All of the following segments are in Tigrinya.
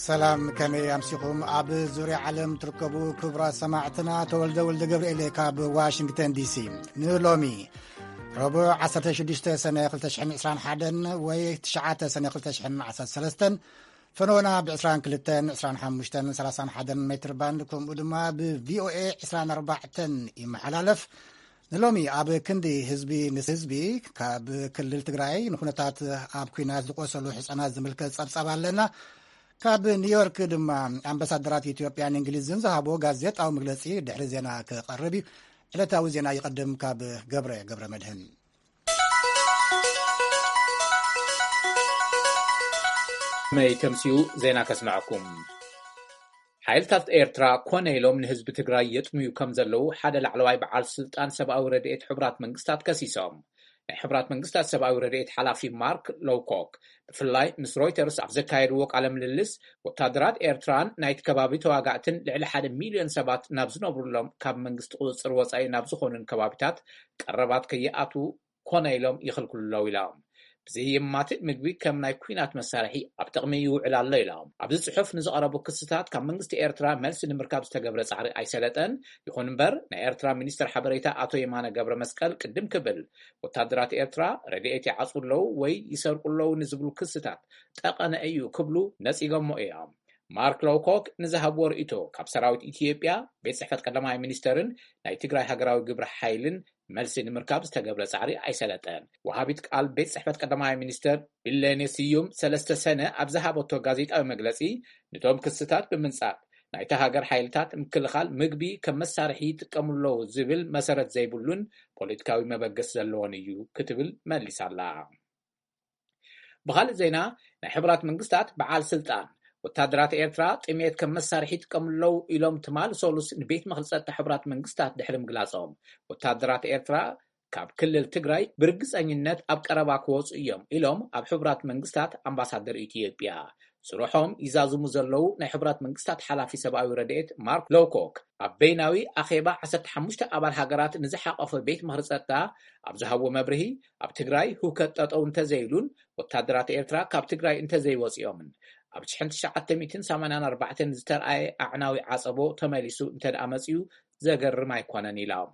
ሰላም፣ ከመይ ኣምሲኹም? ኣብ ዙርያ ዓለም ትርከቡ ክቡራት ሰማዕትና፣ ተወልደ ወልደ ገብርኤል ካብ ዋሽንግተን ዲሲ። ንሎሚ ረቡዕ ዓሰርተ ሽዱሽተ ሰነ ክልተ ሽሕን ዕስራን ሓደን ወይ ትሽዓተ ሰነ ክልተ ሽሕን ዓሰርተ ሰለስተን፣ ፈነወና ብ ዕስራን ክልተን፣ ዕስራን ሓሙሽተን፣ ሰላሳን ሓደን ሜትር ባንድ፣ ከምኡ ድማ ብ ቪ ኦ ኤ ዕስራን ኣርባዕተን ይመሓላለፍ። ንሎሚ ኣብ ክንዲ ህዝቢ ንህዝቢ፣ ካብ ክልል ትግራይ ንኩነታት ኣብ ኲናት ዝቆሰሉ ህፃናት ዝምልከት ጸብጻብ ኣለና። ካብ ኒውዮርክ ድማ ኣምባሳደራት ኢትዮጵያን እንግሊዝን ዝሃቦ ጋዜጣዊ መግለጺ ድሕሪ ዜና ክቐርብ እዩ። ዕለታዊ ዜና ይቐድም ካብ ገብረ ገብረ መድህን። መይ ተምሲኡ ዜና ከስምዐኩም። ሓይልታት ኤርትራ ኮነ ኢሎም ንህዝቢ ትግራይ የጥምዩ ከም ዘለዉ ሓደ ላዕለዋይ በዓል ስልጣን ሰብኣዊ ረድኤት ሕቡራት መንግስታት ከሲሶም። ናይ ሕቡራት መንግስታት ሰብኣዊ ረድኤት ሓላፊ ማርክ ሎውኮክ ብፍላይ ምስ ሮይተርስ ኣብ ዘካየድዎ ቃለ ምልልስ፣ ወታደራት ኤርትራን ናይቲ ከባቢ ተዋጋእትን ልዕሊ ሓደ ሚልዮን ሰባት ናብ ዝነብሩሎም ካብ መንግስቲ ቁጽጽር ወጻኢ ናብ ዝኾኑን ከባቢታት ቀረባት ከይኣትዉ ኮነ ኢሎም ይኽልክሉ ኣለዉ ኢሎም። ብዘየማትእ ምግቢ ከም ናይ ኲናት መሳርሒ ኣብ ጥቕሚ ይውዕል ኣሎ ኢሎም። ኣብዚ ጽሑፍ ንዝቐረቡ ክስታት ካብ መንግስቲ ኤርትራ መልሲ ንምርካብ ዝተገብረ ጻዕሪ ኣይሰለጠን። ይኹን እምበር፣ ናይ ኤርትራ ሚኒስትር ሓበሬታ ኣቶ የማነ ገብረ መስቀል ቅድም ክብል፣ ወታደራት ኤርትራ ረድኤት ይዓጽዉ ኣለዉ ወይ ይሰርቁ ኣለዉ ንዝብሉ ክስታት ጠቐነ እዩ ክብሉ ነጺጎሞ እዮም። ማርክ ሎውኮክ ንዝሃብዎ ርእይቶ፣ ካብ ሰራዊት ኢትዮጵያ፣ ቤት ጽሕፈት ቀዳማይ ሚኒስተርን ናይ ትግራይ ሃገራዊ ግብረ ሓይልን መልሲ ንምርካብ ዝተገብረ ጻዕሪ ኣይሰለጠን። ወሃቢት ቃል ቤት ጽሕፈት ቀዳማይ ሚኒስተር ቢለኔ ስዩም ሰለስተ ሰነ ኣብ ዝሃበቶ ጋዜጣዊ መግለጺ፣ ነቶም ክስታት ብምንጻግ፣ ናይታ ሃገር ሓይልታት ምክልኻል ምግቢ ከም መሳርሒ ይጥቀሙ ኣለዉ ዝብል መሰረት ዘይብሉን ፖለቲካዊ መበገሲ ዘለዎን እዩ ክትብል መሊሳላ። ብኻልእ ዜና፣ ናይ ሕቡራት መንግስታት በዓል ስልጣን ወታደራት ኤርትራ ጥሜት ከም መሳርሒ ይጥቀሙ ኣለዉ ኢሎም ትማል ሰሉስ ንቤት ምኽሪ ጸጥታ ሕቡራት መንግስታት ድሕሪ ምግላጾም፣ ወታደራት ኤርትራ ካብ ክልል ትግራይ ብርግጸኝነት ኣብ ቀረባ ክወጹ እዮም ኢሎም ኣብ ሕቡራት መንግስታት ኣምባሳደር ኢትዮጵያ ስርሖም ይዛዝሙ ዘለዉ ናይ ሕቡራት መንግስታት ሓላፊ ሰብኣዊ ረድኤት ማርክ ሎውኮክ ኣብ በይናዊ ኣኼባ ዓሰርተ ሓሙሽተ ኣባል ሃገራት ንዝሓቐፈ ቤት ምኽሪ ጸጥታ ኣብ ዝሃብዎ መብርሂ፣ ኣብ ትግራይ ህውከት ጠጠው እንተዘይሉን ወታደራት ኤርትራ ካብ ትግራይ እንተዘይወጺኦምን ኣብ ሽሕን ትሽዓተ ሚእትን ሰማንያን ኣርባዕተን ዝተርኣየ ኣዕናዊ ዓጸቦ ተመሊሱ እንተ ደኣ መጺኡ ዘገርም ኣይኮነን ኢሎም።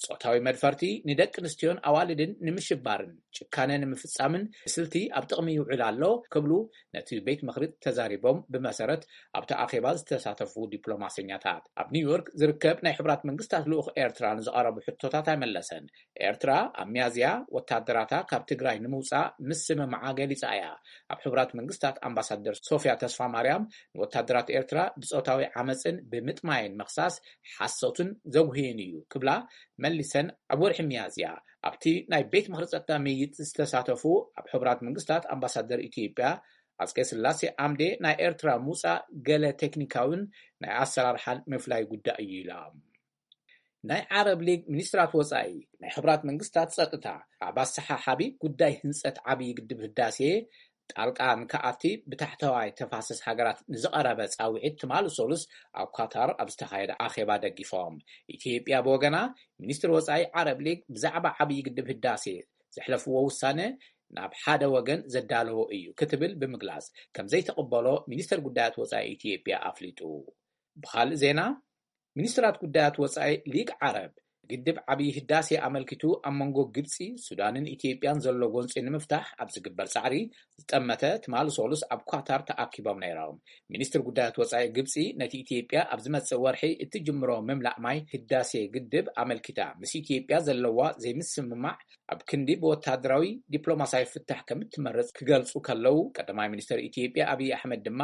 ጾታዊ መድፈርቲ ንደቂ ኣንስትዮን ኣዋልድን ንምሽባርን ጭካነ ንምፍጻምን ስልቲ ኣብ ጥቕሚ ይውዕል ኣሎ ክብሉ ነቲ ቤት ምኽሪ ተዛሪቦም። ብመሰረት ኣብቲ ኣኼባ ዝተሳተፉ ዲፕሎማሰኛታት፣ ኣብ ኒውዮርክ ዝርከብ ናይ ሕቡራት መንግስታት ልኡኽ ኤርትራ ንዝቐረቡ ሕቶታት ኣይመለሰን። ኤርትራ ኣብ ሚያዝያ ወታደራታ ካብ ትግራይ ንምውጻእ ምስምማዓ ገሊጻ እያ። ኣብ ሕቡራት መንግስታት ኣምባሳደር ሶፊያ ተስፋ ማርያም፣ ንወታደራት ኤርትራ ብጾታዊ ዓመጽን ብምጥማይን ምኽሳስ ሓሶትን ዘጉህይን እዩ ክብላ መሊሰን። ኣብ ወርሒ ሚያዝያ ኣብቲ ናይ ቤት ምኽሪ ጸጥታ ምይይጥ ዝተሳተፉ ኣብ ሕቡራት መንግስታት ኣምባሳደር ኢትዮጵያ ኣጽቀ ስላሴ ኣምዴ፣ ናይ ኤርትራ ምውጻእ ገለ ቴክኒካውን ናይ ኣሰራርሓን ምፍላይ ጉዳይ እዩ ኢላ። ናይ ዓረብ ሊግ ሚኒስትራት ወጻኢ ናይ ሕቡራት መንግስታት ጸጥታ ኣብ ኣሰሓሓቢ ጉዳይ ህንጸት ዓብዪ ግድብ ህዳሴ ጣልቃ ንክኣቲ ብታሕተዋይ ተፋሰስ ሃገራት ንዝቐረበ ጻውዒት ትማል ሰሉስ ኣብ ኳታር ኣብ ዝተኻየደ ኣኼባ ደጊፎም። ኢትዮጵያ ብወገና፣ ሚኒስትር ወጻኢ ዓረብ ሊግ ብዛዕባ ዓብዪ ግድብ ህዳሴ ዘሕለፍዎ ውሳነ ናብ ሓደ ወገን ዘዳለዎ እዩ ክትብል ብምግላጽ፣ ከም ዘይትቕበሎ ሚኒስትር ጉዳያት ወጻኢ ኢትዮጵያ ኣፍሊጡ። ብኻልእ ዜና፣ ሚኒስትራት ጉዳያት ወጻኢ ሊግ ዓረብ፣ ግድብ ዓብዪ ህዳሴ ኣመልኪቱ ኣብ መንጎ ግብጺ፣ ሱዳንን ኢትዮጵያን ዘሎ ጎንጺ ንምፍታሕ ኣብ ዝግበር ጻዕሪ ዝጠመተ ትማል ሰሉስ ኣብ ኳታር ተኣኪቦም ነይሮም። ሚኒስትር ጉዳያት ወጻኢ ግብጺ፣ ነቲ ኢትዮጵያ ኣብ ዝመጽእ ወርሒ እትጅምሮ ምምላእ ማይ ህዳሴ ግድብ ኣመልኪታ ምስ ኢትዮጵያ ዘለዋ ዘይምስምማዕ ኣብ ክንዲ ብወታደራዊ ዲፕሎማሲያዊ ፍታሕ ከም እትመርጽ ክገልጹ ከለዉ፣ ቀዳማይ ሚኒስትር ኢትዮጵያ ኣብይ ኣሕመድ ድማ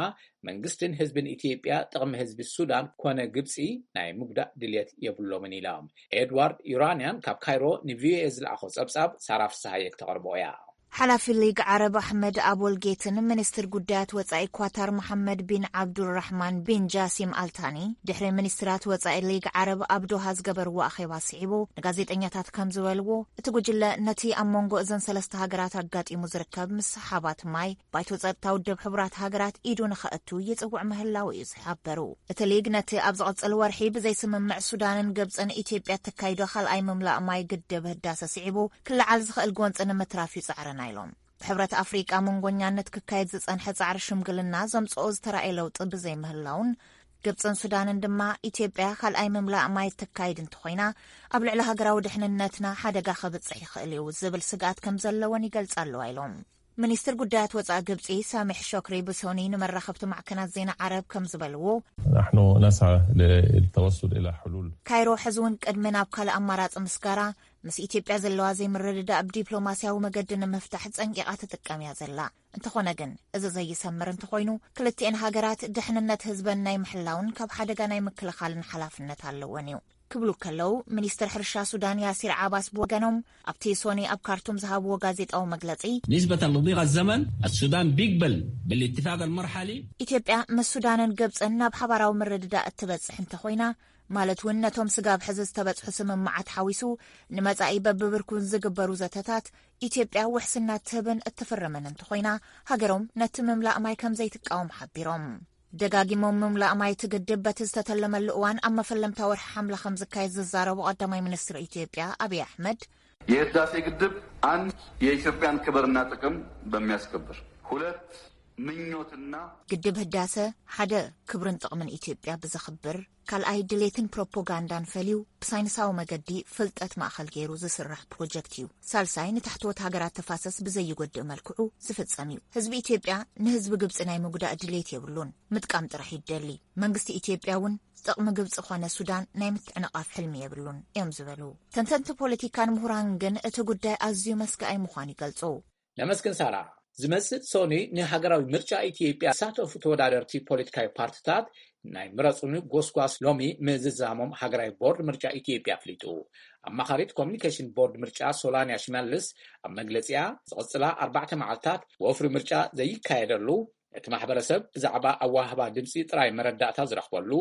መንግስትን ህዝብን ኢትዮጵያ ጥቕሚ ህዝቢ ሱዳን ኮነ ግብጺ ናይ ምጉዳእ ድልየት የብሎምን ኢሎም። ኤድዋርድ ዩራንያን ካብ ካይሮ ንቪኦኤ ዝለኣኾ ጸብጻብ ሳራ ፍስሃየ ክተቕርቦ እያ። ሓላፊ ሊግ ዓረብ ኣሕመድ ኣቦል ጌትን ሚኒስትር ጉዳያት ወጻኢ ኳታር መሓመድ ቢን ዓብዱራሕማን ቢን ጃሲም ኣልታኒ ድሕሪ ሚኒስትራት ወጻኢ ሊግ ዓረብ ኣብ ዶሃ ዝገበርዎ ኣኼባ ስዒቡ ንጋዜጠኛታት ከም ዝበልዎ፣ እቲ ጉጅለ ነቲ ኣብ መንጎ እዘን ሰለስተ ሃገራት ኣጋጢሙ ዝርከብ ምስሓባት ማይ ባይቶ ጸጥታ ውድብ ሕቡራት ሃገራት ኢዱ ንኸእቱ ይጽውዕ ምህላው እዩ ዝሓበሩ። እቲ ሊግ ነቲ ኣብ ዝቐጽል ወርሒ ብዘይስምምዕ ሱዳንን ግብጽን ኢትዮጵያ እተካይዶ ካልኣይ ምምላእ ማይ ግድብ ህዳሰ ስዒቡ ክለዓል ዝኽእል ጎንጺ ንምትራፍ ይጻዕረና ኢሎም። ብሕብረት ኣፍሪቃ መንጎኛነት ክካየድ ዝጸንሐ ጻዕሪ ሽምግልና ዘምጽኦ ዝተራእየ ለውጢ ብዘይምህላውን፣ ግብጽን ሱዳንን ድማ ኢትዮጵያ ካልኣይ ምምላእ ማይ እተካይድ እንተኾይና፣ ኣብ ልዕሊ ሃገራዊ ድሕንነትና ሓደጋ ከብጽሕ ይኽእል እዩ ዝብል ስግኣት ከም ዘለወን ይገልጻ ኣለዋ ኢሎም። ሚኒስትር ጉዳያት ወጻኢ ግብጺ ሳሚሕ ሾክሪ ብሶኒ ንመራኸብቲ ማዕከናት ዜና ዓረብ ከም ዝበልዎ፣ نحن نسعى للتوصل إلى حلول ካይሮ ሕዚ እውን ቅድሚ ናብ ካልእ ኣማራጺ ምስጋራ፣ ምስ ኢትዮጵያ ዘለዋ ዘይምርድዳእ ብዲፕሎማስያዊ መገዲ ንምፍታሕ ጸንቂቓ ትጥቀም እያ ዘላ። እንተኾነ ግን፣ እዚ ዘይሰምር እንተኾይኑ፣ ክልቲኤን ሃገራት ድሕንነት ህዝበን ናይ ምሕላውን ካብ ሓደጋ ናይ ምክልኻልን ሓላፍነት ኣለወን እዩ ክብሉ ከለዉ፣ ሚኒስትር ሕርሻ ሱዳን ያሲር ዓባስ ብወገኖም ኣብቲ ሶኒ ኣብ ካርቱም ዝሃብዎ ጋዜጣዊ መግለጺ፣ نسبة لضيق الزمن السودان بيقبل بالاتفاق المرحلي ኢትዮጵያ ምስ ሱዳንን ግብጽን ናብ ሓባራዊ ምርድዳእ እትበጽሕ እንተኾይና፣ ማለት እውን ነቶም ስጋብ ሕዚ ዝተበጽሑ ስምምዓት ሓዊሱ ንመጻኢ በብብርኩን ዝግበሩ ዘተታት ኢትዮጵያ ውሕስና ትህብን እትፍርምን እንተኾይና፣ ሃገሮም ነቲ ምምላእ ማይ ከም ዘይትቃወም ሓቢሮም። ደጋጊሞም ምምላእ ማይ እቲ ግድብ በቲ ዝተተለመሉ እዋን ኣብ መፈለምታ ወርሒ ሓምለ ከም ዝካየድ ዝዛረቡ ቀዳማይ ሚኒስትር ኢትዮጵያ ኣብይ ኣሕመድ፣ የህዳሴ ግድብ አንድ የኢትዮጵያን ክብርና ጥቅም በሚያስከብር፣ ሁለት ምኞትና ግድብ ህዳሰ ሓደ ክብርን ጥቕምን ኢትዮጵያ ብዘኽብር፣ ካልኣይ ድሌትን ፕሮፖጋንዳን ፈልዩ ብሳይንሳዊ መገዲ ፍልጠት ማእኸል ገይሩ ዝስራሕ ፕሮጀክት እዩ። ሳልሳይ ንታሕተዎት ሃገራት ተፋሰስ ብዘይጎድእ መልክዑ ዝፍጸም እዩ። ህዝቢ ኢትዮጵያ ንህዝቢ ግብጺ ናይ ምጉዳእ ድሌት የብሉን። ምጥቃም ጥራሕ ይደሊ። መንግስቲ ኢትዮጵያ እውን ጥቕሚ ግብጺ ኾነ ሱዳን ናይ ምትዕንቓፍ ሕልሚ የብሉን እዮም ዝበሉ ተንተንቲ ፖለቲካን ምሁራን ግን እቲ ጉዳይ ኣዝዩ መስጋኣይ ምዃኑ ይገልጹ። ነመስግን ሳራ። ዝመጽእ ሶኒ ንሃገራዊ ምርጫ ኢትዮጵያ ዝሳተፉ ተወዳደርቲ ፖለቲካዊ ፓርትታት ናይ ምረጹኒ ጎስጓስ ሎሚ ምዝዛሞም ሃገራዊ ቦርድ ምርጫ ኢትዮጵያ ኣፍሊጡ። ኣማኻሪት ኮሚኒኬሽን ቦርድ ምርጫ ሶላንያ ሽመልስ ኣብ መግለጺኣ፣ ዝቕጽላ ኣርባዕተ መዓልታት ወፍሪ ምርጫ ዘይካየደሉ፣ እቲ ማሕበረሰብ ብዛዕባ ኣዋህባ ድምጺ ጥራይ መረዳእታ ዝረኽበሉ፣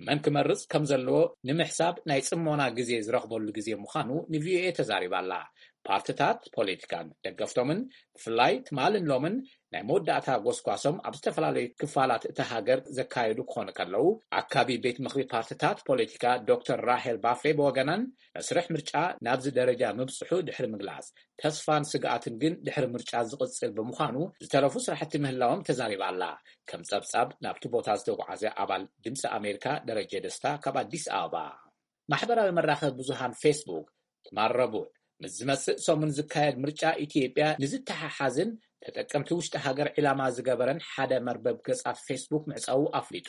መን ክመርጽ ከም ዘለዎ ንምሕሳብ ናይ ጽሞና ግዜ ዝረኽበሉ ግዜ ምዃኑ ንቪኦኤ ተዛሪባ ኣላ። ፓርትታት ፖለቲካን ደገፍቶምን ብፍላይ ትማልን ሎምን ናይ መወዳእታ ጎስጓሶም ኣብ ዝተፈላለዩ ክፋላት እታ ሃገር ዘካየዱ ክኾኑ ከለዉ፣ ኣካቢ ቤት ምኽሪ ፓርትታት ፖለቲካ ዶክተር ራሄል ባፌ ብወገናን መስርሕ ምርጫ ናብዚ ደረጃ ምብጽሑ ድሕሪ ምግላጽ፣ ተስፋን ስግኣትን ግን ድሕሪ ምርጫ ዝቕጽል ብምዃኑ ዝተረፉ ስራሕቲ ምህላዎም ተዛሪባ ኣላ። ከም ጸብጻብ ናብቲ ቦታ ዝተጓዓዘ ኣባል ድምፂ ኣሜሪካ ደረጀ ደስታ ካብ ኣዲስ ኣበባ። ማሕበራዊ መራኸቢ ብዙሃን ፌስቡክ ትማል ረቡዕ ምስ ዝመጽእ ሰሙን ዝካየድ ምርጫ ኢትዮጵያ ንዝተሓሓዝን ተጠቀምቲ ውሽጢ ሃገር ዒላማ ዝገበረን ሓደ መርበብ ገጻት ፌስቡክ ምዕጻዉ ኣፍሊጡ።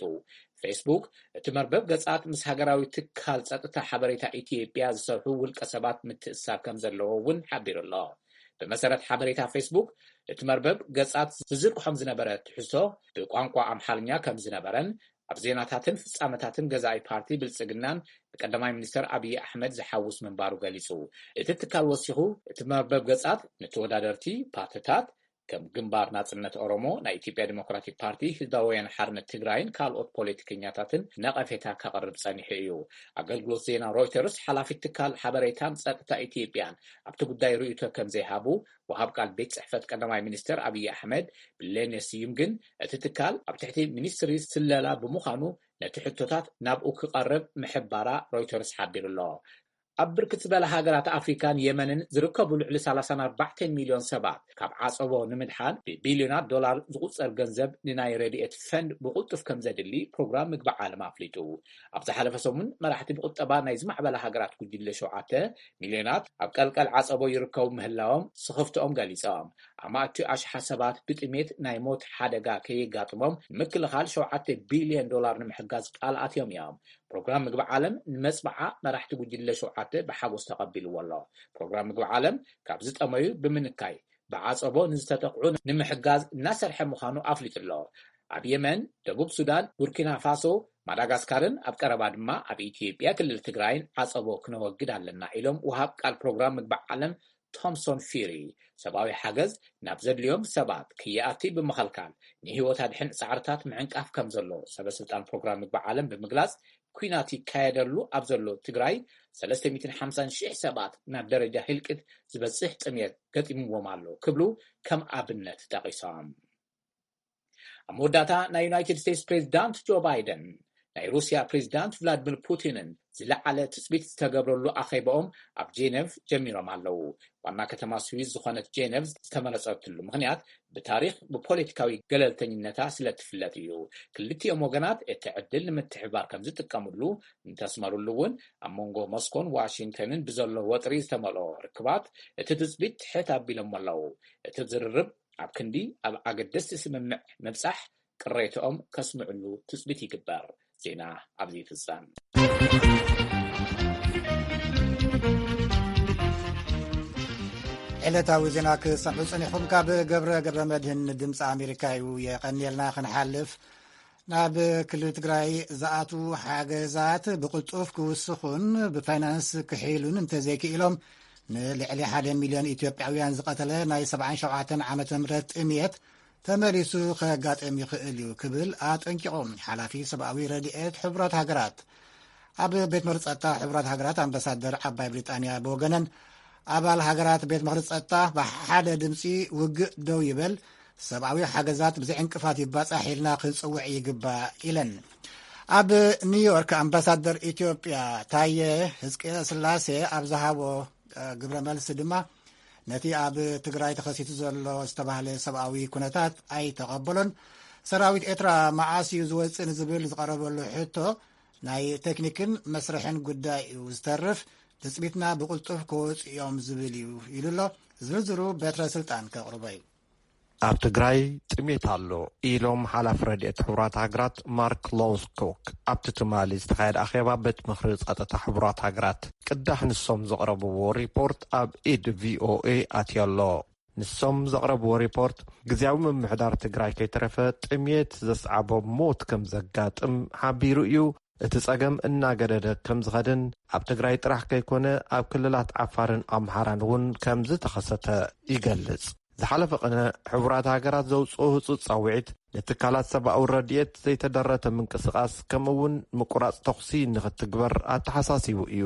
ፌስቡክ እቲ መርበብ ገጻት ምስ ሃገራዊ ትካል ጸጥታ ሓበሬታ ኢትዮጵያ ዝሰርሑ ውልቀ ሰባት ምትእስሳር ከም ዘለዎ እውን ሓቢሩ ኣሎ። ብመሰረት ሓበሬታ ፌስቡክ፣ እቲ መርበብ ገጻት ዝዝርግሖም ዝነበረ ትሕዝቶ ብቋንቋ ኣምሓርኛ ከም ዝነበረን ኣብ ዜናታትን ፍጻመታትን ገዛኢ ፓርቲ ብልጽግናን ንቀዳማይ ሚኒስተር ኣብይ ኣሕመድ ዝሓውስ ምንባሩ ገሊጹ። እቲ ትካል ወሲኹ፣ እቲ መርበብ ገጻት ንተወዳደርቲ ፓርትታት ከም ግንባር ናጽነት ኦሮሞ፣ ናይ ኢትዮጵያ ዲሞክራቲክ ፓርቲ፣ ህዝባዊ ወያነ ሓርነት ትግራይን ካልኦት ፖለቲከኛታትን ነቐፌታ ከቕርብ ጸኒሑ እዩ። ኣገልግሎት ዜና ሮይተርስ ሓላፊት ትካል ሓበሬታን ጸጥታ ኢትዮጵያን ኣብቲ ጉዳይ ርእይቶ ከም ዘይሃቡ ወሃብ ቃል ቤት ጽሕፈት ቀዳማይ ሚኒስተር ኣብይ ኣሕመድ ብሌኔ ስዩም ግን እቲ ትካል ኣብ ትሕቲ ሚኒስትሪ ስለላ ብምዃኑ ነቲ ሕቶታት ናብኡ ክቐርብ ምሕባራ ሮይተርስ ሓቢሩ ኣሎ። ኣብ ብርክት ዝበላ ሃገራት ኣፍሪካን የመንን ዝርከቡ ልዕሊ ሰላሳን ኣርባዕተን ሚልዮን ሰባት ካብ ዓጸቦ ንምድሓን ብቢልዮናት ዶላር ዝቑጸር ገንዘብ ንናይ ረድኤት ፈንድ ብቕልጡፍ ከም ዘድሊ ፕሮግራም ምግቢ ዓለም ኣፍሊጡ። ኣብ ዝሓለፈ ሰሙን መራሕቲ ብቁጠባ ናይ ዝማዕበላ ሃገራት ጉጅለ ሸውዓተ ሚልዮናት ኣብ ቀልቀል ዓጸቦ ይርከቡ ምህላዎም ስኽፍትኦም ገሊጾም። ኣማእቲ ኣሽሓት ሰባት ብጥሜት ናይ ሞት ሓደጋ ከየጋጥሞም ንምክልኻል ሸውዓተ ቢልዮን ዶላር ንምሕጋዝ ቃል ኣትዮም እዮም። ፕሮግራም ምግቢ ዓለም ንመጽብዓ መራሕቲ ጉጅለ ሸውዓተ ብሓጎስ ተቐቢልዎ ኣሎ። ፕሮግራም ምግቢ ዓለም ካብ ዝጠመዩ ብምንካይ ብዓጸቦ ንዝተጠቕዑ ንምሕጋዝ እናሰርሐ ምዃኑ ኣፍሊጡ ኣሎ። ኣብ የመን፣ ደቡብ ሱዳን፣ ቡርኪና ፋሶ፣ ማዳጋስካርን ኣብ ቀረባ ድማ ኣብ ኢትዮጵያ ክልል ትግራይን ዓጸቦ ክነወግድ ኣለና ኢሎም ወሃብ ቃል ፕሮግራም ምግቢ ዓለም ቶምሶን ፊሪ፣ ሰብኣዊ ሓገዝ ናብ ዘድልዮም ሰባት ክይኣቲ ብምኸልካል ንህይወት ኣድሕን ጻዕርታት ምዕንቃፍ ከም ዘሎ ሰበ ስልጣን ፕሮግራም ምግቢ ዓለም ብምግላጽ፣ ኲናት ይካየደሉ ኣብ ዘሎ ትግራይ ሰለስተ ሚእትን ሓምሳን ሽሕ ሰባት ናብ ደረጃ ህልቂት ዝበጽሕ ጥሜት ገጢምዎም ኣሎ ክብሉ ከም ኣብነት ጠቒሶም። ኣብ መወዳእታ፣ ናይ ዩናይትድ ስቴትስ ፕሬዚዳንት ጆ ባይደን ናይ ሩስያ ፕሬዚዳንት ቭላድሚር ፑቲንን ዝለዓለ ትጽቢት ዝተገብረሉ ኣኼባኦም ኣብ ጄኔቭ ጀሚሮም ኣለዉ። ዋና ከተማ ስዊዝ ዝኾነት ጄኔቭ ዝተመረጸትሉ ምኽንያት ብታሪኽ ብፖለቲካዊ ገለልተኝነታ ስለ ትፍለጥ እዩ። ክልቲኦም ወገናት እቲ ዕድል ንምትሕብባር ከም ዝጥቀምሉ እንተስመሩሉ እውን፣ ኣብ መንጎ ሞስኮን ዋሽንግተንን ብዘሎ ወጥሪ ዝተመልኦ ርክባት እቲ ትጽቢት ትሕት ኣቢሎሞ ኣለዉ። እቲ ዝርርብ ኣብ ክንዲ ኣብ ኣገደስቲ ስምምዕ ምብጻሕ ቅሬትኦም ከስምዕሉ ትጽቢት ይግበር። ዜና ኣብዚ ይፍጸም። ዕለታዊ ዜና ክሰምዑ ጸኒሕኩም ካብ ገብረ ገብረ መድህን ድምፂ ኣሜሪካ እዩ። የቐንየልና። ክንሓልፍ ናብ ክልል ትግራይ ዝኣትዉ ሓገዛት ብቕልጡፍ ክውስኹን ብፋይናንስ ክሕይሉን እንተዘይክኢሎም ንልዕሊ ሓደ ሚልዮን ኢትዮጵያውያን ዝቐተለ ናይ ሰብዓን ሸውዓተን ዓመተ ምህረት ጥምየት ተመሊሱ ከጋጥም ይኽእል እዩ ክብል ኣጠንቂቑ። ሓላፊ ሰብኣዊ ረድኤት ሕቡራት ሃገራት ኣብ ቤት ምኽሪ ጸጥታ ሕቡራት ሃገራት ኣምባሳደር ዓባይ ብሪጣንያ ብወገነን ኣባል ሃገራት ቤት ምኽሪ ጸጥታ ብሓደ ድምፂ ውግእ ደው ይበል፣ ሰብኣዊ ሓገዛት ብዘይ ዕንቅፋት ይባጻሕ ኢልና ክንጽውዕ ይግባእ ኢለን። ኣብ ኒውዮርክ ኣምባሳደር ኢትዮጵያ ታየ ህዝቅስላሴ ኣብ ዝሃቦ ግብረ መልሲ ድማ ነቲ ኣብ ትግራይ ተኸሲቱ ዘሎ ዝተባህለ ሰብኣዊ ኩነታት ኣይተቐበሎን። ሰራዊት ኤርትራ መዓስ እዩ ዝወፅእ ንዝብል ዝቐረበሉ ሕቶ ናይ ቴክኒክን መስርሕን ጉዳይ እዩ ዝተርፍ፣ ትፅቢትና ብቕልጡፍ ክወፁ እዮም ዝብል እዩ ኢሉ ኣሎ። ዝርዝሩ በትረ ስልጣን ከቕርቦ እዩ። ኣብ ትግራይ ጥሜት ኣሎ ኢሎም ሓላፊ ረድኤት ሕቡራት ሃገራት ማርክ ሎውስኮክ ኣብቲ ትማሊ ዝተኻየደ ኣኼባ ቤት ምኽሪ ጸጥታ ሕቡራት ሃገራት ቅዳሕ ንሶም ዘቕረብዎ ሪፖርት ኣብ ኢድ ቪኦኤ ኣትዮ ኣሎ። ንሶም ዘቕረብዎ ሪፖርት ግዝያዊ ምምሕዳር ትግራይ ከይተረፈ ጥሜት ዘስዓቦ ሞት ከም ዘጋጥም ሓቢሩ እዩ። እቲ ጸገም እናገደደ ከም ዝኸድን ኣብ ትግራይ ጥራሕ ከይኮነ ኣብ ክልላት ዓፋርን ኣምሓራን እውን ከም ዝተኸሰተ ይገልጽ። ዝሓለፈ ቅነ ሕቡራት ሃገራት ዘውፅኦ ህፁፅ ጻውዒት ንትካላት ሰብኣዊ ረድኤት ዘይተደረተ ምንቅስቓስ ከምኡ እውን ምቁራፅ ተኹሲ ንኽትግበር ኣተሓሳሲቡ እዩ።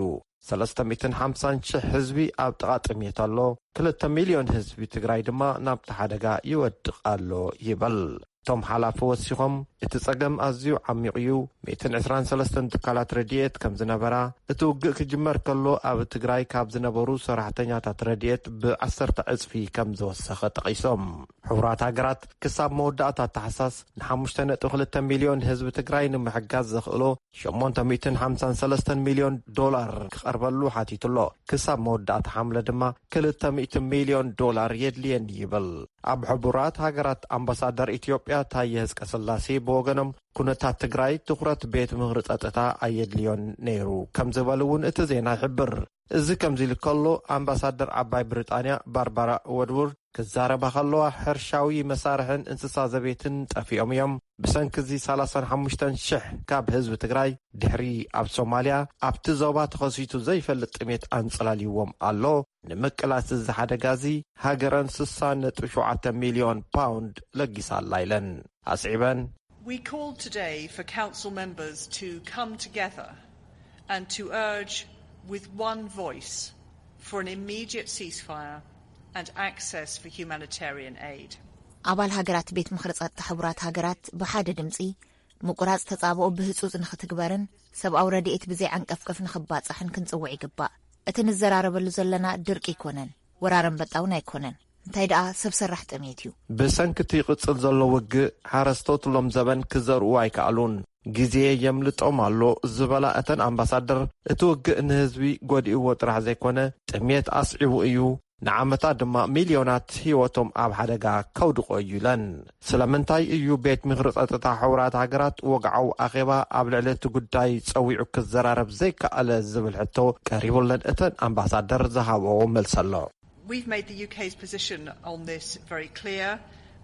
ሰለስተ ሚእትን ሓምሳን ሽሕ ህዝቢ ኣብ ጥቓ ጥሜት ኣሎ፣ ክልተ ሚልዮን ህዝቢ ትግራይ ድማ ናብቲ ሓደጋ ይወድቕ ኣሎ ይብል። እቶም ሓላፊ ወሲኾም፣ እቲ ጸገም ኣዝዩ ዓሚቕ እዩ፣ ሚእትን ዕስራን ሰለስተን ትካላት ረድኤት ከም ዝነበራ፣ እቲ ውግእ ክጅመር ከሎ ኣብ ትግራይ ካብ ዝነበሩ ሰራሕተኛታት ረድኤት ብዓሰርተ ዕጽፊ ከም ዝወሰኸ ጠቒሶም። ሕቡራት ሃገራት ክሳብ መወዳእታ ታሕሳስ ንሓሙሽተ ነጥቢ ክልተ ሚልዮን ህዝቢ ትግራይ ንምሕጋዝ ዘኽእሎ ሸሞንተ ሚእትን ሓምሳን ሰለስተን ሚልዮን ዶላር ክቐርበሉ ሓቲቱ ኣሎ። ክሳብ መወዳእታ ሓምለ ድማ ክልተ ሚእቲ ሚልዮን ዶላር የድልየኒ ይብል። ኣብ ሕቡራት ሃገራት ኣምባሳደር ኢትዮጵያ ታየ ህዝቀስላሴ ብወገኖም፣ ኩነታት ትግራይ ትኹረት ቤት ምኽሪ ጸጥታ ኣየድልዮን ነይሩ ከም ዝበሉ እውን እቲ ዜና ይሕብር። እዚ ከምዚ ኢሉ ከሎ፣ ኣምባሳደር ዓባይ ብሪጣንያ ባርባራ ወድውርድ ክዛረባ ከለዋ፣ ሕርሻዊ መሳርሕን እንስሳ ዘቤትን ጠፊኦም እዮም። ብሰንኪ እዚ ሰላሳን ሓሙሽተን ሽሕ ካብ ህዝቢ ትግራይ፣ ድሕሪ ኣብ ሶማልያ፣ ኣብቲ ዞባ ተኸሲቱ ዘይፈልጥ ጥሜት ኣንጸላልይዎም ኣሎ። ንምቅላስ እዚ ሓደጋ እዚ፣ ሃገረን ስሳ ነጥቢ ሸውዓተ ሚልዮን ፓውንድ ለጊሳ ኣላ ኢለን። ኣስዒበን፣ We called today for council members to come together and to urge with one voice for an immediate ceasefire and access for humanitarian aid. ኣባል ሃገራት ቤት ምኽሪ ጸጥታ ሕቡራት ሃገራት ብሓደ ድምጺ ምቁራጽ ተጻብኦ ብህጹጽ ንኽትግበርን ሰብኣዊ ረድኤት ብዘይ ዓንቀፍቀፍ ንኽባጻሕን ክንጽውዕ ይግባእ። እቲ ንዘራረበሉ ዘለና ድርቂ ኣይኮነን፣ ወራር ኣንበጣ እውን ኣይኮነን። እንታይ ደኣ ሰብ ሰራሕ ጥሜት እዩ። ብሰንኪ እቲ ይቕጽል ዘሎ ውግእ፣ ሓረስቶት ሎም ዘበን ክዘርኡ ኣይከኣሉን። ግዜ የምልጦም ኣሎ ዝበላ እተን ኣምባሳደር፣ እቲ ውግእ ንህዝቢ ጎዲእዎ ጥራሕ ዘይኮነ፣ ጥሜት ኣስዒቡ እዩ፣ ንዓመታት ድማ ሚልዮናት ህይወቶም ኣብ ሓደጋ ከውድቖ እዩ ኢለን። ስለምንታይ እዩ ቤት ምኽሪ ጸጥታ ሕቡራት ሃገራት ወግዓዊ ኣኼባ ኣብ ልዕሊ እቲ ጉዳይ ጸዊዑ ክዘራረብ ዘይከኣለ ዝብል ሕቶ ቀሪቡለን እተን ኣምባሳደር ዝሃብኦ መልሲ ኣሎ። We've made the U K's position on this very clear.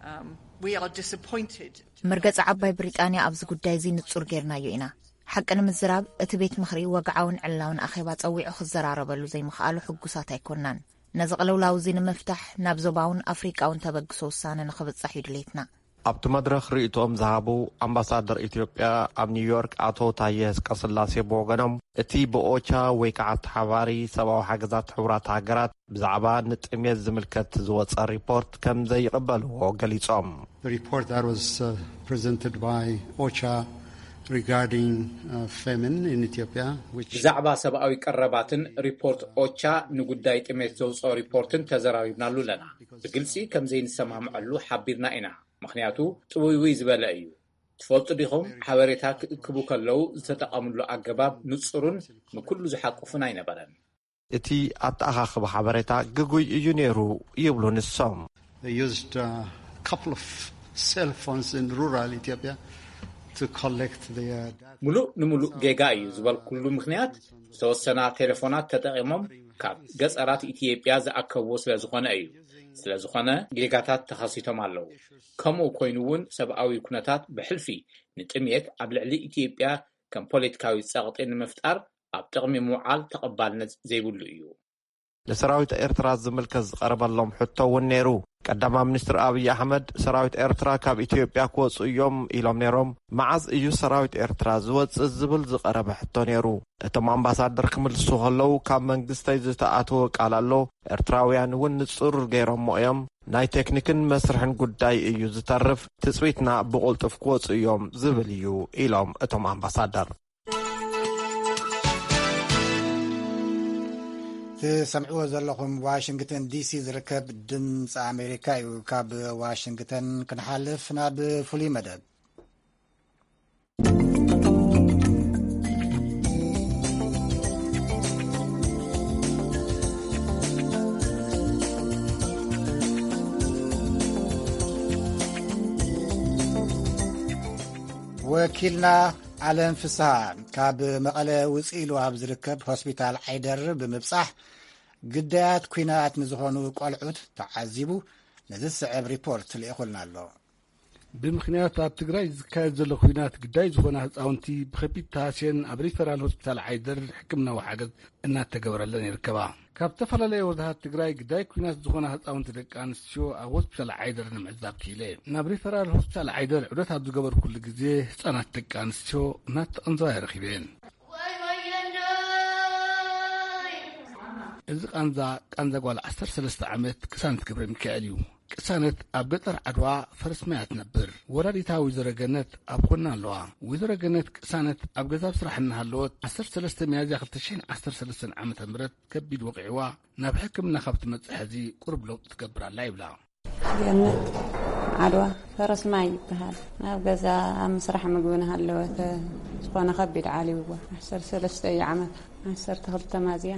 Um, we are disappointed. መርገጺ ዓባይ ብሪጣንያ ኣብዚ ጉዳይ እዚ ንጹር ጌርናዮ ኢና። ሓቂ ንምዝራብ፣ እቲ ቤት ምኽሪ ወግዓውን ዕላውን ኣኼባ ጸዊዑ ክዘራረበሉ ዘይምኽኣሉ ሕጉሳት ኣይኮናን። ነዚ ቅልውላው እዚ ንምፍታሕ ናብ ዞባውን ኣፍሪቃውን ተበግሶ ውሳነ ንኽብጻሕ እዩ ድሌትና። ኣብቲ መድረኽ ርእይቶኦም ዝሃቡ ኣምባሳደር ኢትዮጵያ ኣብ ኒውዮርክ ኣቶ ታየ ህዝቀስላሴ ብወገኖም፣ እቲ ብኦቻ ወይ ከዓ ተሓባሪ ሰብኣዊ ሓገዛት ሕቡራት ሃገራት ብዛዕባ ንጥሜት ዝምልከት ዝወፀ ሪፖርት ከም ዘይቕበልዎ ገሊፆም። The report that was, uh, presented by OCHA Regarding uh, famine in Ethiopia, which ብዛዕባ ሰብኣዊ ቀረባትን ሪፖርት ኦቻ ንጉዳይ ጥሜት ዘውፅኦ ሪፖርትን ተዘራሪብናሉ ኣለና። ብግልፂ ከም ዘይንሰማምዐሉ ሓቢርና ኢና። ምኽንያቱ ጥውይውይ ዝበለ እዩ። ትፈልጡ ዲኹም? ሓበሬታ ክእክቡ ከለዉ ዝተጠቐምሉ ኣገባብ ንጹርን ንኩሉ ዝሓቁፍን ኣይነበረን። እቲ ኣተኣኻኽባ ሓበሬታ ግጉይ እዩ ነይሩ ይብሉ ንሶም። They used a couple of cell phones in rural Ethiopia to collect their data. ሙሉእ ንሙሉእ ጌጋ እዩ ዝበልኩሉ ምኽንያት ዝተወሰና ቴሌፎናት ተጠቒሞም ካብ ገጸራት ኢትዮጵያ ዝኣከብዎ ስለ ዝኾነ እዩ። ስለ ዝኾነ ጌጋታት ተኸሲቶም ኣለዉ። ከምኡ ኮይኑ እውን ሰብኣዊ ኩነታት ብሕልፊ ንጥምየት ኣብ ልዕሊ ኢትዮጵያ ከም ፖለቲካዊ ጸቕጢ ንምፍጣር ኣብ ጥቕሚ ምውዓል ተቐባልነት ዘይብሉ እዩ። ንሰራዊት ኤርትራ ዝምልከት ዝቐረበሎም ሕቶ እውን ነይሩ። ቀዳማይ ሚኒስትር ኣብይ ኣሕመድ ሰራዊት ኤርትራ ካብ ኢትዮጵያ ክወፁ እዮም ኢሎም ነይሮም። መዓዝ እዩ ሰራዊት ኤርትራ ዝወፅእ ዝብል ዝቐረበ ሕቶ ነይሩ። እቶም ኣምባሳደር ክምልሱ ከለዉ ካብ መንግስተይ ዝተኣተወ ቃል ኣሎ። ኤርትራውያን እውን ንፁር ገይሮሞ እዮም። ናይ ቴክኒክን መስርሕን ጉዳይ እዩ ዝተርፍ። ትፅቢትና ብቕልጡፍ ክወፁ እዮም ዝብል እዩ ኢሎም እቶም ኣምባሳደር። ትሰምዕዎ ዘለኹም ዋሽንግተን ዲሲ ዝርከብ ድምፂ ኣሜሪካ እዩ። ካብ ዋሽንግተን ክንሓልፍ ናብ ፍሉይ መደብ። ወኪልና ኣለም ፍስሃ ካብ መቐለ ውፅእ ኢሉ ኣብ ዝርከብ ሆስፒታል ዓይደር ብምብፃሕ ግዳያት ኲናት ንዝኾኑ ቆልዑት ተዓዚቡ ነዚ ዝስዕብ ሪፖርት ልኢኹልና ኣሎ። ብምኽንያት ኣብ ትግራይ ዝካየድ ዘሎ ኲናት ግዳይ ዝኾና ህፃውንቲ ብኸቢድ ተሃስየን ኣብ ሪፈራል ሆስፒታል ዓይደር ሕክምናዊ ሓገዝ እናተገበረለን ይርከባ። ካብ ዝተፈላለየ ወረዳታት ትግራይ ግዳይ ኲናት ዝኾና ህፃውንቲ ደቂ ኣንስትዮ ኣብ ሆስፒታል ዓይደር ንምዕዛብ ክኢለ። ናብ ሪፈራል ሆስፒታል ዓይደር ዑደት ኣብ ዝገበርኩሉ ግዜ ህፃናት ደቂ ኣንስትዮ እናተቐንዘዋ ይረኺበን። እዚ ቃንዛ፣ ቃንዛ ጓል ዓሰርተ ሰለስተ ዓመት ቅሳነት ገብረ ሚካኤል እዩ። ቅሳነት ኣብ ገጠር ዓድዋ ፈረስ ማያ ትነብር። ወላዲታ ወይዘሮ ገነት ኣብ ጎና ኣለዋ። ወይዘሮ ገነት ቅሳነት ኣብ ገዛ ኣብ ስራሕ እናሃለወት ዓሰርተ ሰለስተ ሚያዝያ ክልተ ሽሕን ዓሰርተ ሰለስተን ዓመተ ምህረት ከቢድ ወቒዕዋ ናብ ሕክምና ካብ ትመጽእ ሕዚ ቁሩብ ለውጢ ትገብር ኣላ ይብላ። ገነት ዓድዋ ፈረስ ማይ ይበሃል። ኣብ ገዛ ኣብ ምስራሕ ምግቢ እናሃለወት ዝኾነ ከቢድ ዓልይዋ። ዓሰርተ ሰለስተ እዩ ዓመታ። ዓሰርተ ክልተ ሚያዝያ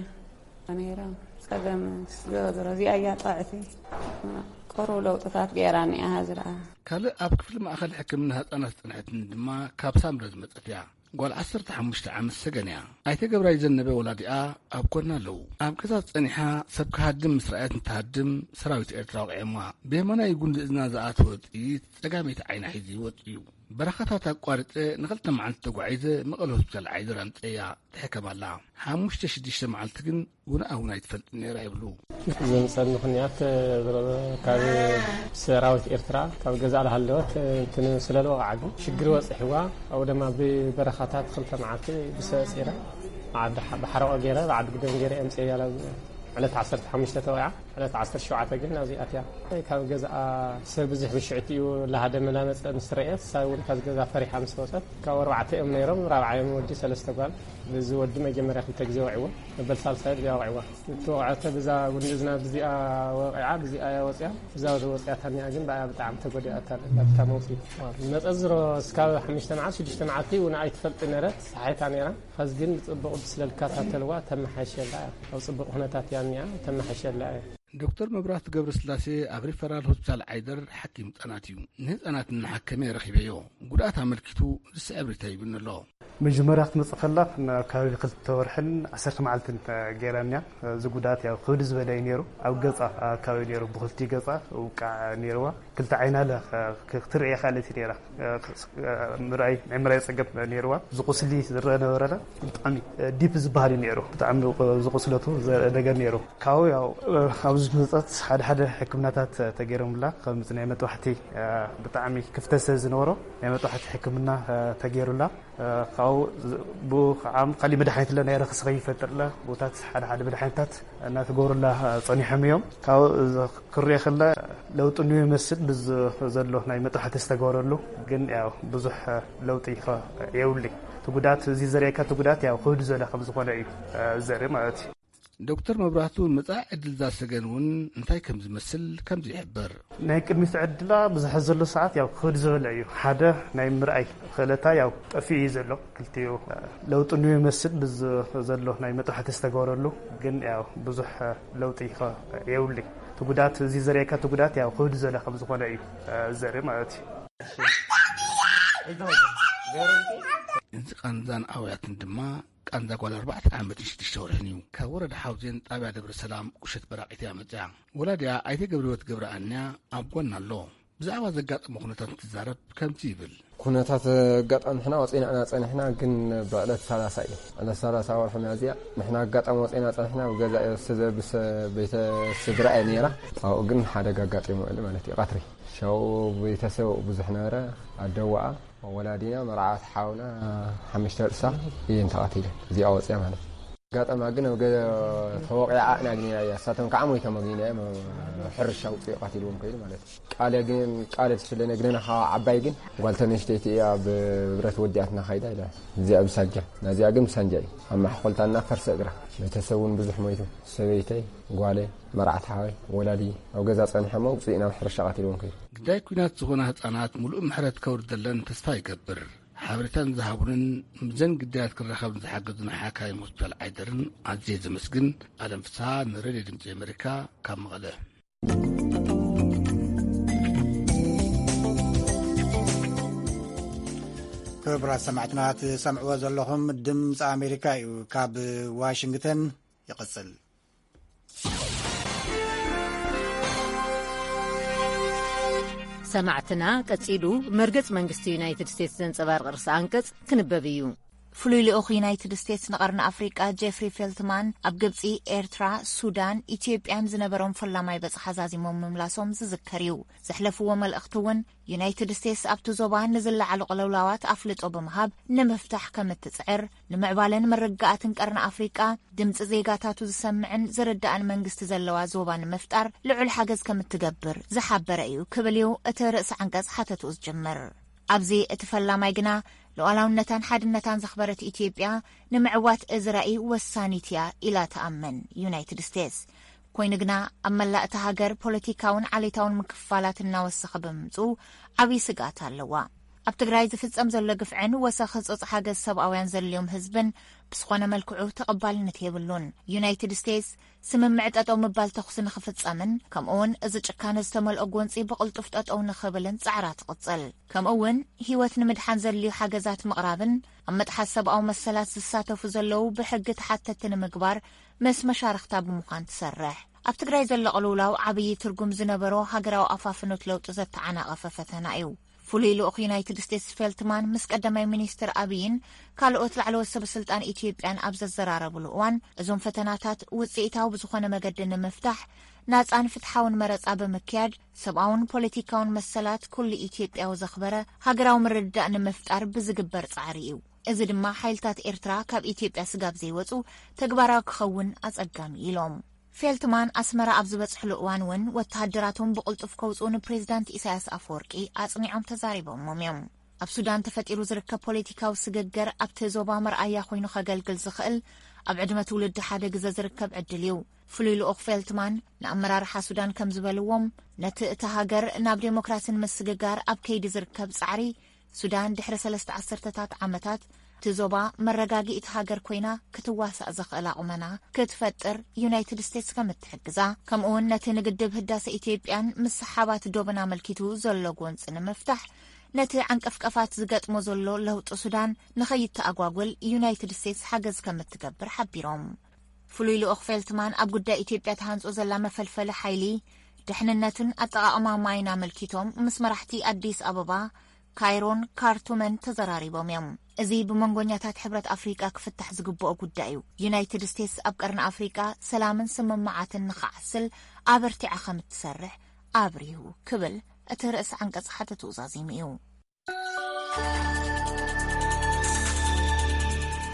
ነይሮም። ጸገም ዝገበረ እዚኣ እያ ጥዕቲ። ቁሩብ ለውጥታት ገይራ እኒኣ ዝረኣ። ካልእ ኣብ ክፍሊ ማእኸል ሕክምና ህፃናት ዝፀንሐትን ድማ ካብ ሳምረ ዝመፀት እያ። ጓል ዓሰርተ ሓሙሽተ ዓመት ሰገን እያ። ኣይተ ገብራይ ዘነበ ወላዲኣ ኣብ ጎና ኣለዉ። ኣብ ገዛ ጸኒሓ ሰብ ክሃድም ምስ ረኣየት እንትሃድም ሰራዊት ኤርትራ ወቒዖማ። ብየማናይ ጉንዲ እዝና ዝኣተወ ጥይት ጸጋመይቲ ዓይና ሒዙ ይወጽእ እዩ። በረኻታት ኣቋሪጸ ንኽልተ መዓልቲ ተጓዒዘ መቐለ ሆስፒታል ዓይደር ኣምጸያ ትሕከም ኣላ። ሓሙሽተ ሽዱሽተ መዓልቲ ግን ውንኣ እውን ኣይትፈልጥን ነይራ ይብሉ። ዘምጸኒ ምኽንያት ካብ ሰራዊት ኤርትራ ካብ ገዛ ዝሃለወት እንትን ስለ ዝወቕዓ ግን ሽግር በጺሕዋ። ኣብኡ ድማ ብበረኻታት ክልተ መዓልቲ ብሰ ጺረ ዓዲ ሐ-፣ ብሓረቆ ገይረ ብዓዲ ግደም ገይረ ኣምጽያ። ዕለት ዓሰርተ ሓሙሽተ ተወቂዓ። ዕለት ዓሰርተ ሸውዓተ ግን ናብዚ ኣትያ። ካብ ገዛኣ ሰብ ብዙሕ ብሽዕቲ እዩ ላሃደመ ላመፀ ምስ ረእየት፣ እሳ እውን ካብዚ ገዛ ፈሪሓ ምስ ወፀት፣ ካብ ኣርባዕተ እዮም ነይሮም፣ ራብዓዮም ወዲ ሰለስተ ጓል። እዚ ወዲ መጀመርያ ክልተ ግዜ ወዒዎ፣ መበል ሳልሳይ ብዚኣ ወዒዋ። እተወቕዐተ ብዛ ጉንዲ እዝና ብዚኣ ወቂዓ፣ ብዚኣ እያ ወፂኣ። ብዛ ዝወፅያታ እኒኣ ግን ብኣያ ብጣዕሚ ተጎዲኣታ ኣብታ መውፅኢት። መፀ ዝሮ እስካብ ሓሙሽተ መዓልቲ ሽዱሽተ መዓልቲ እውን ኣይትፈልጥ ነይረት፣ ሰሓይታ ነይራ። ኸዚ ግን ብጽቡቕ ብስለ ዝከታተልዋ ተመሓየሸላ እያ። ኣብ ጽቡቕ ኩነታት እያ እኒኣ፣ ተመሓየሸላ እያ። ዶክተር መብራህቱ ገብረስላሴ ኣብ ሪፈራል ሆስፒታል ዓይደር ሓኪም ህጻናት እዩ። ንህጻናት እናሓከመ ረኺበዮ። ጉድኣት ኣመልኪቱ ዝስዕብ ሪኢቶ ሂቡኒ ኣሎ። መጀመርያ ክትመጽእ ከላ ኣብ ከባቢ ክልተ ወርሕን ዓሰርተ መዓልትን ገይራንያ። እዚ ጉድኣት ያው ክብድ ዝበለ እዩ ነይሩ። ኣብ ገጻ ኣካባቢ ነይሩ፣ ብኽልቲኡ ገጻ ውቃዕ ነይርዋ። ክልተ ዓይና ለ-፣ ክ-፣ ክትርኢ ኣይከኣለትን ነይራ። እ፣ ክ-፣ እ፣ ምርኣይ፣ ናይ ምርኣይ ጸገም ነይርዋ። እዚ ቁስሊ ዝረአ ነበረ ለ፣ ብጣዕሚ፣ እ፣ ዲፕ ዝበሃል እዩ ነይሩ። ብጣዕሚ ቁ-፣ ዝቁስለቱ ዘ-፣ ነገር ነይሩ። ካብኡ ያው፣ እ፣ ኣብዚ መጸት ሓደ ሓደ ሕክምናታት ተገይሮምላ፣ ከም ናይ መጥባሕቲ፣ እ፣ ብጣዕሚ ክፍተት ስለ ዝነበሮ፣ ናይ መጥባሕቲ ሕክምና፣ እ፣ ተገይሩላ። እ፣ ኣብኡ ዝ- ብኡ ከዓ ካሊእ መድሓኒት ለ ናይ ረክሲ ከይፈጥር ለ ቦታት ሓደ ሓደ መድሓኒታት እናተገብሩላ ፀኒሖም እዮም። ካብ ክርኦ ከለ ለውጢ እንዮ ይመስል፣ ብዝ ዘሎ ናይ መጥባሕቲ ዝተገበረሉ ግን ያው ብዙሕ ለውጢ ከ የብሉይ። እቲ ጉዳት እዚ ዘርእየካ እቲ ጉዳት ያው ክብድ ዝበለ ከም ዝኾነ እዩ ዘርኢ ማለት እዩ። ዶክተር መብራህቱ መጻኢ ዕድል ዛሰገን እውን እንታይ ከም ዝመስል ከምዚ ይሕብር። ናይ ቅድሚት ዕድላ ብዙሕ ዘሎ ሰዓት ያው ክብድ ዝበለ እዩ። ሓደ ናይ ምርኣይ ክእለታ ያው ጠፊኡ እዩ ዘሎ። ክልቲኡ ለውጢ እንዮ ይመስል፣ ብዝ ዘሎ ናይ መጥባሕቲ ዝተገበረሉ ግን ያው ብዙሕ ለውጢ ከ የብሉይ። እቲ ጉዳት እዚ ዘርእየካ እቲ ጉዳት ያው ክብድ ዝበለ ከም ዝኾነ እዩ ዘርኢ ማለት እዩ። እዚ ቃንዛን ኣውያትን ድማ ቃንዛ ጓል ኣርባዕተ ዓመትን ሽዱሽተ ወርሕን እዩ። ካብ ወረዳ ሓውዜን ጣብያ ደብረ ሰላም ቁሸት በራቂት እያ መፅያ። ወላዲያ ኣይተ ገብረህይወት ገብረኣንያ ኣብ ጎና ኣሎ። ብዛዕባ ዘጋጠመ ኩነታት እንትዛረብ ከምዚ ይብል። ኩነታት ኣጋጣሚ ንሕና ወፂና ኢና ፀኒሕና፣ ግን ብዕለት ሰላሳ እዩ፣ ዕለት ሰላሳ ወርሒ ሚያዝያ ንሕና ኣጋጣሚ ወፂና ፀኒሕና፣ ብገዛ እየ ስዘ- ብሰ- ቤተ ስድራ እየ ነይራ። ኣብኡ ግን ሓደጋ ኣጋጢሙ ውዕሊ ማለት እዩ። ቀትሪ ሸው ቤተሰብ ብዙሕ ነበረ፣ ኣደዋኣ ወላዲና መርዓት ሓውና ሓሙሽተ ርእሳ እየን ተቐቲለን። እዚኣ ወፅያ ማለት እዩ። ኣጋጣማ ግን ኣብ ገ- ተወቂዓ ኣናግኒና እያ። እሳቶም ከዓ ሞይቶም ኣግኒና እዮም። ሕርሻ ውፅኡ ቀቲልዎም ከይዱ ማለት እዩ። ቃለ ግን ቃለ ትፍለ ነግነና ከዓ ዓባይ ግን ጓል ተነሽተይቲ እያ፣ ብብረት ወዲኣትና ከይዳ ኢላ። እዚኣ ብሳጃ ናዚኣ ግን ብሳንጃ እዩ። ኣብ ማሕኮልታና ፈርሰ እግራ። ቤተሰብ እውን ብዙሕ ሞይቱ። ሰበይተይ፣ ጓለይ፣ መርዓት ሓወይ፣ ወላዲ ኣብ ገዛ ፀኒሖሞ ውፅኡ ናብ ሕርሻ ቀቲልዎም ከይዱ። ግዳይ ኲናት ዝኾና ህጻናት ምሉእ ምሕረት ከውርደለን ተስፋ ይገብር። ሓበሬታን ዝሃቡንን ምስዘን ግዳያት ክራኸብን ዝሓገዙና ሓካይም ሆስፒታል ዓይደርን ኣዝየ ዘመስግን። ኣለም ፍስሓ ንሬድዮ ድምፂ ኣሜሪካ ካብ መቐለ። ክቡራት ሰማዕትና ትሰምዕዎ ዘለኹም ድምፂ ኣሜሪካ እዩ። ካብ ዋሽንግተን ይቕፅል። ሰማዕትና ቀጺሉ መርገጽ መንግስቲ ዩናይትድ ስቴትስ ዘንጸባርቕ ርእሰ ኣንቀጽ ክንበብ እዩ። ፍሉይ ልኡኽ ዩናይትድ ስቴትስ ንቐርኒ ኣፍሪቃ ጄፍሪ ፌልትማን ኣብ ግብጺ፣ ኤርትራ፣ ሱዳን፣ ኢትዮጵያን ዝነበሮም ፈላማይ በጽሓ ዛዚሞም ምምላሶም ዝዝከር እዩ። ዘሕለፍዎ መልእኽቲ እውን ዩናይትድ ስቴትስ ኣብቲ ዞባ ንዝለዓሉ ቅልውላዋት ኣፍልጦ ብምሃብ ንምፍታሕ ከም እትጽዕር፣ ንምዕባለን ምርግጋኣትን ቀርኒ ኣፍሪቃ ድምፂ ዜጋታቱ ዝሰምዕን ዝርዳእን መንግስቲ ዘለዋ ዞባ ንምፍጣር ልዑል ሓገዝ ከም እትገብር ዝሓበረ እዩ ክብል እዩ እቲ ርእሲ ዓንቀፅ ሓተትኡ ዝጅምር። ኣብዚ እቲ ፈላማይ ግና ሉዓላውነታን ሓድነታን ዘኽበረት ኢትዮጵያ ንምዕዋት እዚ ራእይ ወሳኒት እያ ኢላ ትኣምን ዩናይትድ ስቴትስ። ኮይኑ ግና ኣብ መላእ እታ ሃገር ፖለቲካውን ዓሌታውን ምክፍፋላት እናወሰኸ ብምምፅኡ ዓብዪ ስግኣት ኣለዋ። ኣብ ትግራይ ዝፍፀም ዘሎ ግፍዕን ወሰኽ ህፁፅ ሓገዝ ሰብኣውያን ዘድልዮም ህዝብን ብዝኾነ መልክዑ ተቐባልነት የብሉን። ዩናይትድ ስቴትስ ስምምዕ ጠጠው ምባል ተኹሲ ንኽፍፀምን ከምኡውን እዚ ጭካነ ዝተመልኦ ጎንፂ ብቕልጡፍ ጠጠው ንኽብልን ፃዕራ ትቕፅል። ከምኡውን ህይወት ንምድሓን ዘድልዩ ሓገዛት ምቕራብን ኣብ ምጥሓስ ሰብኣዊ መሰላት ዝሳተፉ ዘለዉ ብሕጊ ተሓተቲ ንምግባር ምስ መሻርኽታ ብምዃን ትሰርሕ። ኣብ ትግራይ ዘሎ ቅልውላው ዓብዪ ትርጉም ዝነበሮ ሃገራዊ ኣፋፍኖት ለውጢ ዘተዓናቐፈ ፈተና እዩ። ፍሉይ ልኡኽ ዩናይትድ ስቴትስ ፌልትማን ምስ ቀዳማይ ሚኒስትር ኣብይን ካልኦት ላዕለዎት ሰበ ስልጣን ኢትዮጵያን ኣብ ዘዘራረብሉ እዋን፣ እዞም ፈተናታት ውፅኢታዊ ብዝኾነ መገዲ ንምፍታሕ ናፃን ፍትሓውን መረፃ ብምክያድ ሰብኣውን ፖለቲካውን መሰላት ኩሉ ኢትዮጵያዊ ዘኽበረ ሃገራዊ ምርድዳእ ንምፍጣር ብዝግበር ፃዕሪ እዩ። እዚ ድማ ሓይልታት ኤርትራ ካብ ኢትዮጵያ ስጋብ ዘይወፁ ተግባራዊ ክኸውን ኣፀጋሚ ኢሎም። ፌልትማን ኣስመራ ኣብ ዝበጽሕሉ እዋን እውን ወተሃደራቶም ብቕልጡፍ ከውጽኡ ንፕሬዚዳንት ኢሳያስ ኣፈወርቂ ኣጽኒዖም ተዛሪቦሞም እዮም። ኣብ ሱዳን ተፈጢሩ ዝርከብ ፖለቲካዊ ስግግር ኣብቲ ዞባ መርኣያ ኮይኑ ከገልግል ዝኽእል ኣብ ዕድመ ትውልዲ ሓደ ግዘ ዝርከብ ዕድል እዩ። ፍሉይ ልኡኽ ፌልትማን ንኣመራርሓ ሱዳን ከም ዝበልዎም ነቲ እታ ሃገር ናብ ዴሞክራሲን ምስግጋር ኣብ ከይዲ ዝርከብ ጻዕሪ ሱዳን ድሕሪ ሰለስተ ዓሰርተታት ዓመታት እቲ ዞባ መረጋጊእቲ ሃገር ኮይና ክትዋሳእ ዘኽእላ ቁመና ክትፈጥር ዩናይትድ ስቴትስ ከም እትሕግዛ ከምኡውን ነቲ ንግድብ ህዳሰ ኢትዮጵያን ምስ ሰሓባት ዶብን ኣመልኪቱ ዘሎ ጎንፂ ንምፍታሕ ነቲ ዓንቀፍቀፋት ዝገጥሞ ዘሎ ለውጢ ሱዳን ንኸይተኣጓጉል ዩናይትድ ስቴትስ ሓገዝ ከም እትገብር ሓቢሮም። ፍሉይ ልኡኽ ፌልትማን ኣብ ጉዳይ ኢትዮጵያ ተሃንጾ ዘላ መፈልፈሊ ሓይሊ፣ ድሕንነትን ኣጠቓቕማ ማይን ኣመልኪቶም ምስ መራሕቲ ኣዲስ ኣበባ፣ ካይሮን ካርቱምን ተዘራሪቦም እዮም። እዚ ብመንጎኛታት ሕብረት ኣፍሪቃ ክፍታሕ ዝግብኦ ጉዳይ እዩ። ዩናይትድ ስቴትስ ኣብ ቀርኒ ኣፍሪቃ ሰላምን ስምምዓትን ንኽዓስል ኣበርቲዓ ከም እትሰርሕ ኣብሪሁ ክብል እቲ ርእሲ ዓንቀጽ ሓተትኡ ዛዚሙ እዩ።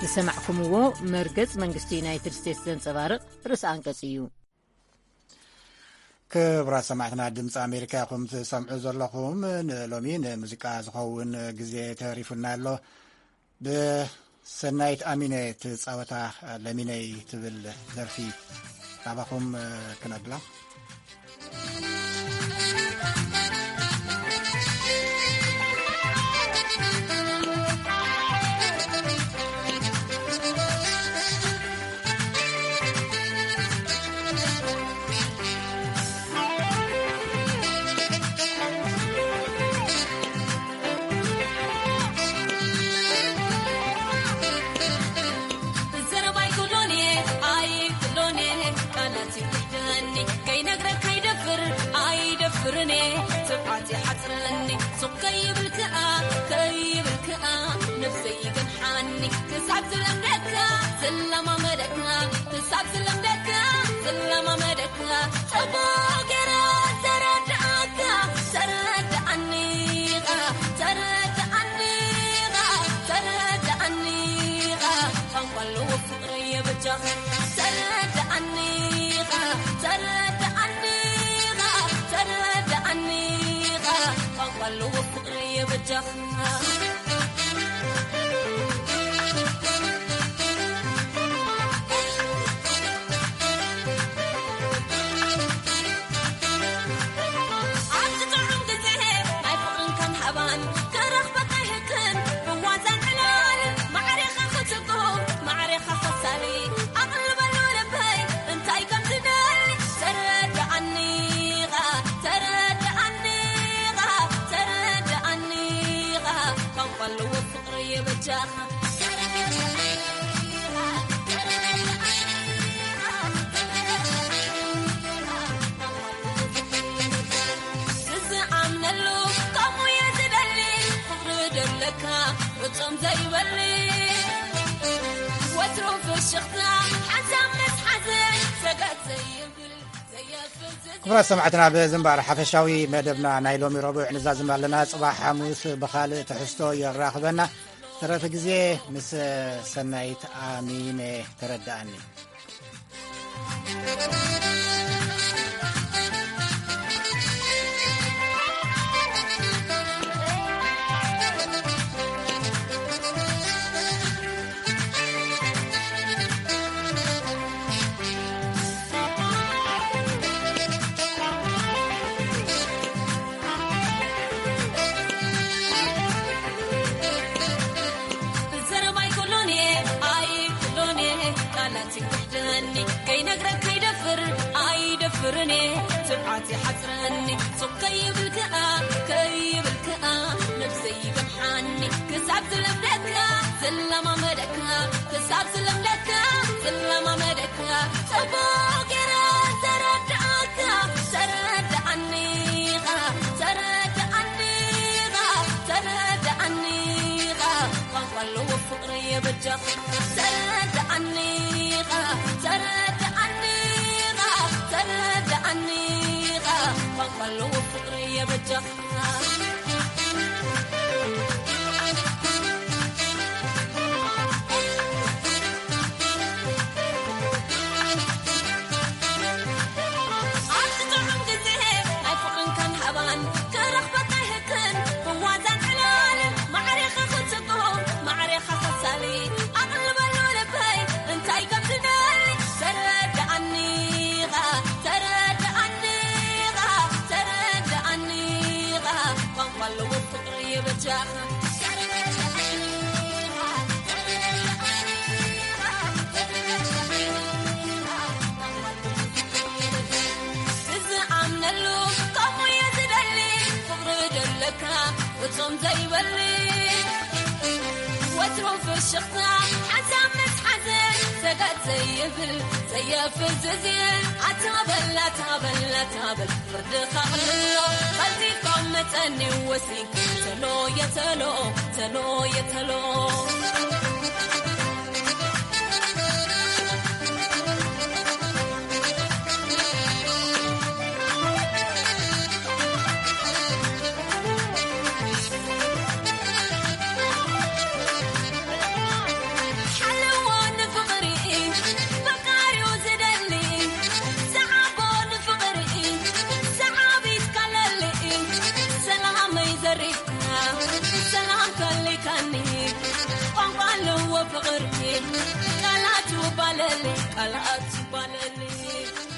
ዝሰማዕኩምዎ መርገጽ መንግስቲ ዩናይትድ ስቴትስ ዘንጸባርቕ ርእሰ ኣንቀጽ እዩ። ክቡራት ሰማዕትና ድምፂ ኣሜሪካ ኢኹም ትሰምዑ ዘለኹም። ንሎሚ ንሙዚቃ ዝኸውን ግዜ ተሪፉና ኣሎ። ብሰናይት ኣሚነ ትፃወታ ለሚነይ ትብል ደርፊ ናባኹም ክነብላ። ዘረባይ ኩሎኔ ኣይ ኩሎኔ ቃላት ይውሕደኒ ከይነግረካ ይደፍር ኣይደፍርኔ ትብዓት ይሓፅረኒ ሱቕ ከይብል ከኣ ከይብል ከኣ ነብሰይ ይገንሓኒ ክሳብ ዝለምደካ ዝለማመደካ ክሳብ ዝለምደካ ዝለማመደካ ጽቡቕ ገይረ ተረድኣካ ተረድኣኒኻ ተረድኣኒኻ ተረድኣኒኻ ቋንቋ ኣለዎ ፍቕረየ በጃኻ ተረድኣኒኻ ተረድኣኒኻ ተረድኣኒኻ ቋንቋ ኣለዎ ፍቕረየ በጃኻ ክቡራት ሰማዕትና ብዝንባር ሓፈሻዊ መደብና ናይ ሎሚ ረቡዕ ንዛዝም ኣለና። ጽባሕ ሓሙስ ብኻልእ ትሕዝቶ የራኽበና። ተረፈ ግዜ ምስ ሰናይት ኣሚነ ተረድኣኒ። ቃላት